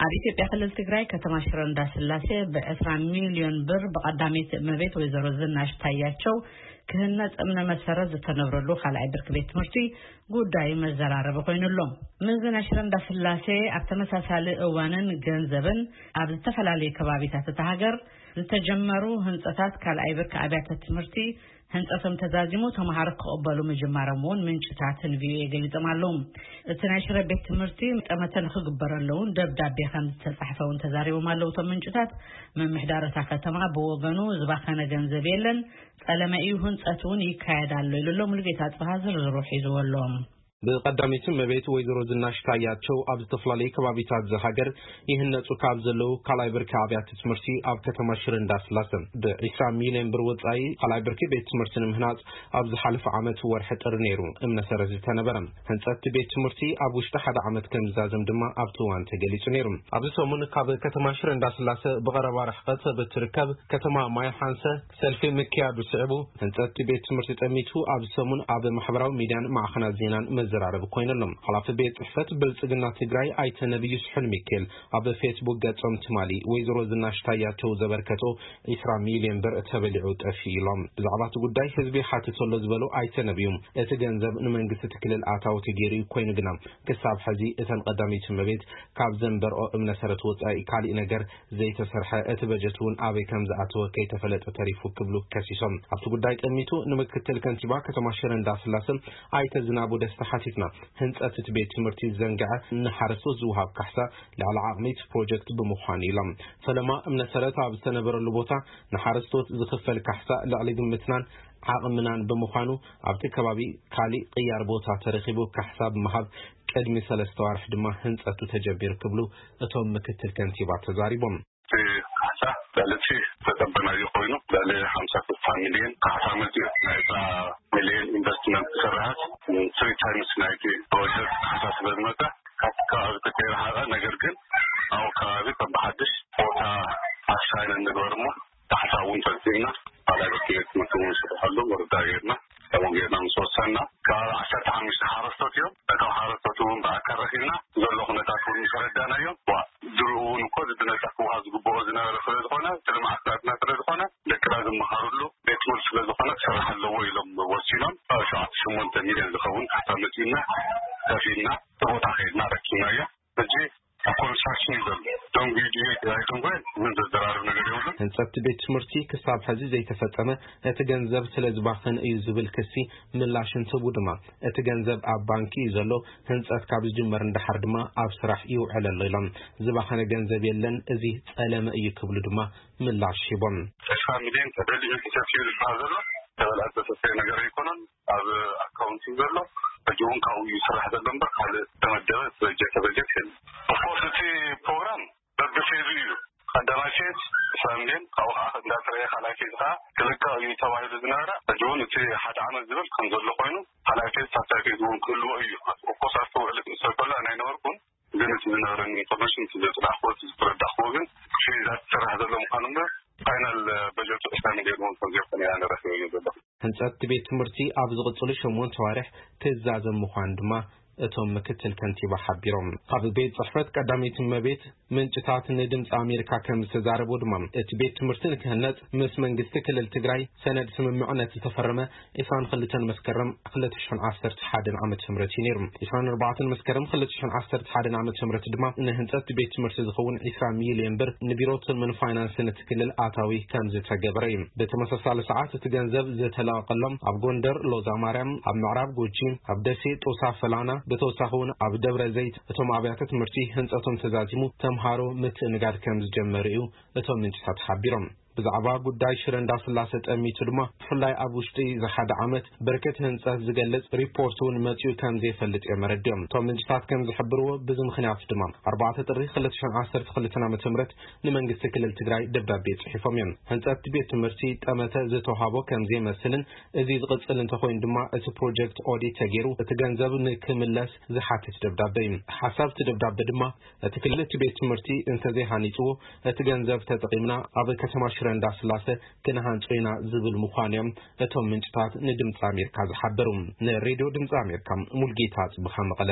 ኣብ ኢትዮጵያ ክልል ትግራይ ከተማ ሽረ እንዳስላሴ ብ20 ሚልዮን ብር ብቀዳመይቲ እመቤት ወይዘሮ ዝናሽ ታያቸው ክህነጽ እምነ መሰረት ዝተነብረሉ ካልኣይ ብርኪ ቤት ትምህርቲ ጉዳይ መዘራረቢ ኮይኑ ኣሎ። ምእዝን ሽረ እንዳስላሴ ኣብ ተመሳሳሊ እዋንን ገንዘብን ኣብ ዝተፈላለዩ ከባቢታት እታ ሃገር ዝተጀመሩ ህንጸታት ካልኣይ ብርኪ ኣብያተ ትምህርቲ ህንጸቶም ተዛዚሙ ተማሃሮ ክቕበሉ ምጅማሮም እውን ምንጭታት ን ቪኦኤ ገሊጾም ኣለዉ። እቲ ናይ ሽረ ቤት ትምህርቲ ጠመተ ንክግበረሉ እውን ደብዳቤ ከም ዝተጻሕፈ እውን ተዛሪቦም ኣለዉ። እቶም ምንጭታት ምምሕዳር እታ ከተማ ብወገኑ ዝባኸነ ገንዘብ የለን፣ ጸለመ እዩ፣ ህንጸት እውን ይካየድ ኣሎ ኢሉ ኣሎ። ሙሉጌታ ጽብሃ ዝርዝሩ ሒዝዎ ኣሎ። ብቀዳመይቲ እመቤት ወይዘሮ ዝናሽ ታያቸው ኣብ ዝተፈላለዩ ከባቢታት ዝሃገር ይህነጹ ካብ ዘለዉ ካልኣይ ብርኪ ኣብያተ ትምህርቲ ኣብ ከተማ ሽረ እንዳስላሰ ብ20 ሚልዮን ብር ወጻኢ ካልኣይ ብርኪ ቤት ትምህርቲ ንምህናጽ ኣብ ዝሓለፈ ዓመት ወርሒ ጥሪ ነይሩ እምነ ሰረት ዝተነበረ። ህንጸት ቤት ትምህርቲ ኣብ ውሽጢ ሓደ ዓመት ከም ዝዛዘም ድማ ኣብቲ እዋን ተገሊጹ ነይሩ። ኣብዚ ሰሙን ካብ ከተማ ሽረ እንዳስላሰ ብቐረባ ርሕቀት ብትርከብ ከተማ ማይ ሓንሰ ሰልፊ ምክያዱ ስዕቡ ህንጸት ቤት ትምህርቲ ጠሚቱ ኣብዚ ሰሙን ኣብ ማሕበራዊ ሚድያን ማዕኸናት ዜናን መዘራረቢ ኮይኑ ኣሎ። ሓላፊ ቤት ጽሕፈት ብልጽግና ትግራይ ኣይተ ነብዩ ስሑል ሚካኤል ኣብ ፌስቡክ ገጾም ትማሊ ወይዘሮ ዝናሽ ታያቸው ዘበርከቶ 20 ሚልዮን ብር ተበሊዑ ጠፊኡ ኢሎም። ብዛዕባ እቲ ጉዳይ ህዝቢ ሓትት ኣሎ ዝበሉ ኣይተ ነብዩ እቲ ገንዘብ ንመንግስቲ እቲ ክልል ኣታዊ ተገይሩ እዩ፣ ኮይኑ ግና ክሳብ ሕዚ እተን ቀዳመይቲ እመቤት ካብ ዘንበርኦ እምነ ሰረት ወጻኢ ካሊእ ነገር ዘይተሰርሐ፣ እቲ በጀት እውን ኣበይ ከም ዝኣተወ ከይተፈለጠ ተሪፉ ክብሉ ከሲሶም። ኣብቲ ጉዳይ ጠሚቱ ንምክትል ከንቲባ ከተማ ሽረ እንዳስላሰ ኣይተ ዝናቡ ደስታ ሓቲትና፣ ህንጸት እቲ ቤት ትምህርቲ ዘንግዐ ንሓረስቶት ዝወሃብ ካሕሳ ልዕሊ ዓቕሚ እቲ ፕሮጀክት ብምዃኑ ኢሎም። ፈለማ እምነ ሰረት ኣብ ዝተነበረሉ ቦታ ንሓረስቶት ዝኽፈል ካሕሳ ልዕሊ ግምትናን ዓቕምናን ብምዃኑ ኣብቲ ከባቢ ካሊእ ቅያር ቦታ ተረኺቡ ካሕሳ ብምሃብ ቅድሚ ሰለስተ ዋርሕ ድማ ህንጸቱ ተጀሚሩ ክብሉ እቶም ምክትል ከንቲባ ተዛሪቦም። እቲ ካሕሳ ልዕሊ እቲ ዝተጸበናዮ ኮይኑ ልዕሊ 56 ሚልዮን ካሕሳ መጺኡ፣ ናይ 20 ሚልዮን ኢንቨስትመንት ስርሓት ትሪ ታይምስ ናይቲ ፕሮጀክት ካሕሳ ስለ ዝመጸ ካብቲ ከባቢ ተከይረሓቐ፣ ነገር ግን ኣብኡ ከባቢ ከም ብሓድሽ ቦታ ኣሳይን እንግበር እሞ ካሕሳ እውን ፈጺምና፣ ካልኣይ ብርኪ ቤት ትምህርቲ እውን ንስርሐሉ ምርዳእ ጌርና፣ ከምኡ ጌርና ምስ ወሰንና፣ ከባቢ 15 ሓረስቶት እዮም። ነቶም ሓረስቶት እውን ብኣካል ረኺብና ዘሎ ኩነታት እውን ምስ ኣረዳእናዮም፣ ዋ፣ ድሮ እውን እኮ እዚ ብነጻ ክወሃብ ዝግብኦ ዝነበረ ስለ ዝኾነ፣ እቲ ልምዓት ናትና ስለ ዝኾነ፣ ደቅና ዝመሃርሉ ቤት ትምህርቲ ስለ ዝኾነ ክስራሕ ኣለዎ ኢሎም ወሲኖም። ሸውዓተ ሸሞንተ ሚልዮን ዝኸውን ካሕሳ መጺኡና፣ ከፊልና፣ እቲ ቦታ ከይድና ረኪብናዮ። ሕጂ ኣብ ኮንስትራክሽን እዩ ዘሎ። ደንጉዩ ድዩ ኣይደንጎየን ምን ዘዘራርብ ነገር የብሉን። ህንጸት ቤት ትምህርቲ ክሳብ ሕዚ ዘይተፈጸመ እቲ ገንዘብ ስለ ዝባኸን እዩ ዝብል ክሲ ምላሽ እንትህቡ ድማ፣ እቲ ገንዘብ ኣብ ባንኪ እዩ ዘሎ፣ ህንጸት ካብ ዝጅመር እንዳሓር ድማ ኣብ ስራሕ ይውዕል ኣሎ ኢሎም። ዝባኸነ ገንዘብ የለን፣ እዚ ጸለመ እዩ ክብሉ ድማ ምላሽ ሂቦም። 60 ሚልዮን ተደሊዩ ተሰፊዩ ዝበሃል ዘሎ ተበልዐ ዝተሰፈየ ነገር ኣይኮነን። ኣብ ኣካውንት እዩ ዘሎ። ሕጂ እውን ካብኡ እዩ ዝስራሕ ዘሎ እምበር ካልእ ዝተመደበ በጀት በጀት የለን። ኦፍኮርስ እቲ ፕሮግራም በብፌዙ እዩ። ቀዳማይ ፌዝ 20 ሚልዮን፣ ካብኡ ከዓ እንዳተረየ ካልኣይ ፌዝ ከዓ ክልቀቕ እዩ ተባሂሉ ዝነበረ። ሕጂ እውን እቲ ሓደ ዓመት ዝብል ከም ዘሎ ኮይኑ ካልኣይ ፌዝ ሳልሳይ ፌዝ እውን ክህልዎ እዩ። ኦፍኮርስ ኣብቲ ውዕል ክእሰር ከሎ ኣይነበርኩን፣ ግን እቲ ዝነበረኒ ኢንፎርሜሽን እቲ ዘፅናሕኩዎ እቲ ዝተረዳእኩዎ ግን ፌዛት ዝስራሕ ዘሎ ምዃኑ እምበር ፋይናል በጀቱ 20 ሚልዮን እውን ከም ዘይኮነ ኢና ንረክበዮ ዘለኹ። ህንጸት ቤት ትምህርቲ ኣብ ዝቕጽሉ ሸሞንተ ዋርሕ ክዛዘም ምዃኑ ድማ እቶም ምክትል ከንቲባ ሓቢሮም። ካብ ቤት ጽሕፈት ቀዳመይቲ እመቤት ምንጭታት ንድምፂ ኣሜሪካ ከም ዝተዛረቡ ድማ፣ እቲ ቤት ትምህርቲ ንክህነጽ ምስ መንግስቲ ክልል ትግራይ ሰነድ ስምምዕነት ዝተፈረመ 22 መስከረም 2011 ዓመተ ምህረት እዩ ነይሩ። 24 መስከረም 2011 ዓመተ ምህረት ድማ ንህንጸት ቤት ትምህርቲ ዝኸውን 20 ሚልዮን ብር ንቢሮ ትልምን ፋይናንስን እቲ ክልል ኣታዊ ከም ዝተገበረ እዩ። ብተመሳሳሊ ሰዓት እቲ ገንዘብ ዝተለቀቀሎም ኣብ ጎንደር ሎዛ ማርያም፣ ኣብ ምዕራብ ጎጂ፣ ኣብ ደሴ ጦሳ ፈላና፣ ብተወሳኺ እውን ኣብ ደብረ ዘይት እቶም ኣብያተ ትምህርቲ ህንጸቶም ተዛዚሙ ተምሃሮ ምትእንጋድ ከም ዝጀመሩ እዩ እቶም ምንጭታት ሓቢሮም። ብዛዕባ ጉዳይ ሽረ እንዳስላሰ ጠሚቱ ድማ ብፍላይ ኣብ ውሽጢ እዚ ሓደ ዓመት ብርክት ህንጸት ዝገልጽ ሪፖርት እውን መጺኡ ከም ዘይፈልጥ እዮም ኣረዲኦም። እቶም ምንጭታት ከም ዝሕብርዎ ብዚ ምኽንያት ድማ 4 ጥሪ 2012 ዓመተ ምህረት ንመንግስቲ ክልል ትግራይ ደብዳቤ ጽሒፎም እዮም። ህንጸት ቤት ትምህርቲ ጠመተ ዝተውሃቦ ከም ዘይመስልን እዚ ዝቕጽል እንተኾይኑ ድማ እቲ ፕሮጀክት ኦዲት ተገይሩ እቲ ገንዘብ ንክምለስ ዝሓትት ደብዳበ እዩ። ሓሳብ እቲ ደብዳበ ድማ እቲ ክልል እቲ ቤት ትምህርቲ እንተዘይሃኒጽዎ እቲ ገንዘብ ተጠቒምና ኣብ ከተማ ሽረ እንዳስላሰ ክንሃንጾ ኢና ዝብል ምዃኑ እዮም እቶም ምንጭታት ንድምፂ ኣሜሪካ ዝሓበሩ። ንሬድዮ ድምፂ ኣሜሪካ ሙልጌታ ጽብኻ መቐለ።